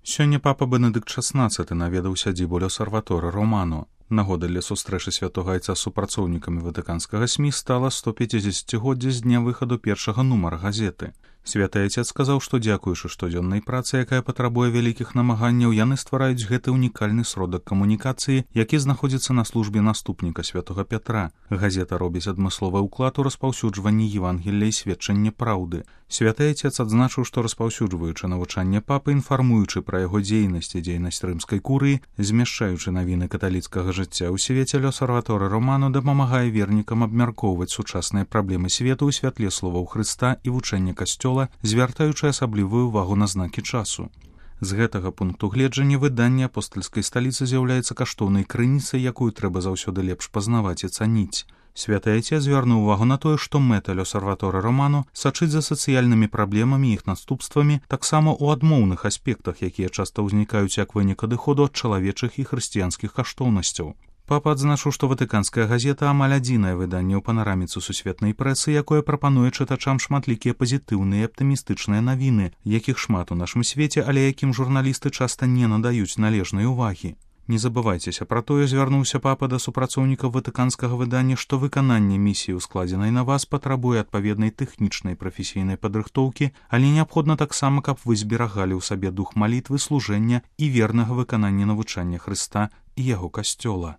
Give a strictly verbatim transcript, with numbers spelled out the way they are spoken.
Сёння папа Бенедыкт шаснаццаты наведаў сядзібу L'Osservatore Romano. Нагода для сустрэчы святога айца з супрацоўнікамі ватыканскага СМІ стала сто пяцідзесяцігоддзя з дня выхаду першага нумара газеты. Святы айцец сказаў, што дзякуючы штодзённай працы, якая патрабуе вялікіх намаганняў, яны ствараюць гэты ўнікальны сродак камунікацыі, які знаходзіцца на службе наступніка святога Пятра. Газета робіць адмысловы ўклад у распаўсюджванні Евангелля і сведчання праўды. Святы айцец адзначыў, што распаўсюджваючы навучанне папы, інфармуючы пра яго дзейнасць і дзейнасць рымскай курыі, змяшчаючы навіны каталіцкага жыцця ў свеце, L'Osservatore Romano дапамагае вернікам абмяркоўваць сучасныя праблемы свету ў святле словаў Хрыста і вучэння касцёла, звяртаючы асаблівую ўвагу на знакі часу. З гэтага пункту гледжання выданне апостальскай сталіцы з'яўляецца каштоўнай крыніцай, якую трэба заўсёды лепш пазнаваць і цаніць. Святы айцец звярнуў увагу на тое, што мэта L'Osservatore Romano сачыць за сацыяльнымі праблемамі і іх наступствамі таксама ў адмоўных аспектах, якія часта ўзнікаюць як вынік адыходу ад чалавечых і хрысціянскіх каштоўнасцяў. Папа адзначыў, што ватыканская газета амаль адзінае выданне ў панараміцы сусветнай прэсы, якое прапануе чытачам шматлікія пазітыўныя і аптымістычныя навіны, якіх шмат у нашым свеце, але якім журналісты часта не надаюць належнай увагі. Не забывайцеся пра тое, звярнуўся папа да супрацоўнікаў ватыканскага выдання, што выкананне місіі, ускладзенай на вас, патрабуе адпаведнай тэхнічнай прафесійнай падрыхтоўкі, але неабходна таксама, каб вы зберагалі ў сабе дух малітвы, служэння і вернага выканання навучання Хрыста і яго касцёла.